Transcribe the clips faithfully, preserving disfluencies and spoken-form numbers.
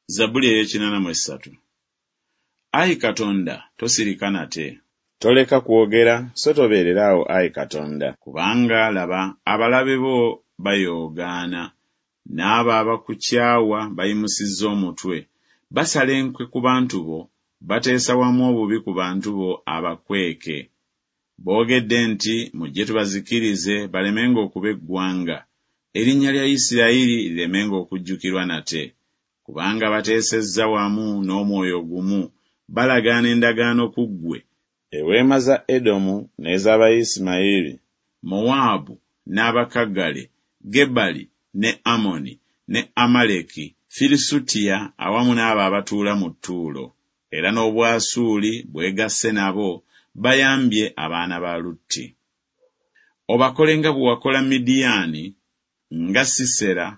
Zabbuli ey'ekinana mu essatu. Ayi Katonda, tosirika nate. Toleka kwogera, so tobeerera awo, ayi Katonda. Kubanga, laba, abalabe bo bayoogaana, n'abo abakukyawa bayimusizza omutwe. Basala enkwe ku bantu bo, bateesa wamu obubi ku bantu bo abakweke. Boogedde nti, Mujje tubazikirize, balemenga okuba eggwanga, erinnya lya Isirayiri liremenga okujjukirwa nate. Kubanga bateesezza wamu n'omwoyo gumu, balagaana endagaano ku ggwe. Eweema za Edomu n'ez'Abayisimayiri, Mowaabu n'Abakagale, Gebali ne Amoni ne Amaleki, Filisutiya awamu n'abo abatuula mu Ttuulo. Era n'Obwasuuli bwegasse nabo, bayambye abaana ba Lutti. Obakole nga bwe wakola Midiyaani, nga Sisera,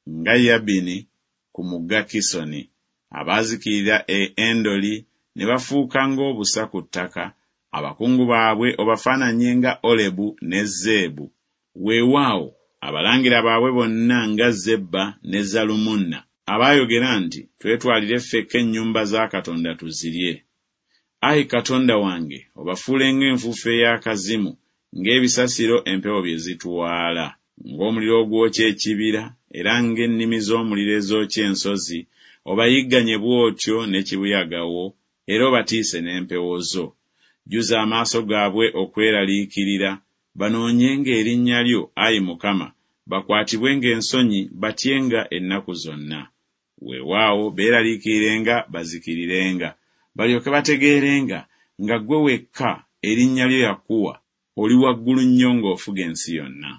nga Yabini ku mugga Kisoni, abaazikirira e Endoli ne bafuuka ng'obusa ku ttaka, abakungu baabwe obafaananye nga Olebu ne Zeebu, weewaawo, abalangira baabwe bonna nga Zeba ne Zalumunna, abaayogera nti, Twetwalire ffekka ennyumba za Katonda tuzirye. Ayi Katonda wange, obafuule ng'enfuufu ey'akazimu, ng'ebisasiro empewo bye zitwala. Ng'omuliro ogwokya ekibira, era ng'ennimi z'omuliro ezookya ensozi, obayigganye bw'otyo ne kibuyaga wo, era obatiise n'empewo zo. Jjuza amaaso gaabwe okweraliikirira, banoonyenga erinnya lyo, ayi Mukama, bakwatibwenga ensonyi, batyenga ennaku zonna. Weewaawo beeraliikirirenga bazikirirenga, balyoke bategeerenga nga ggwe wekka, erinnya lyo Yakuwa, oli waggulu nnyo ng'ofuga ensi yonna.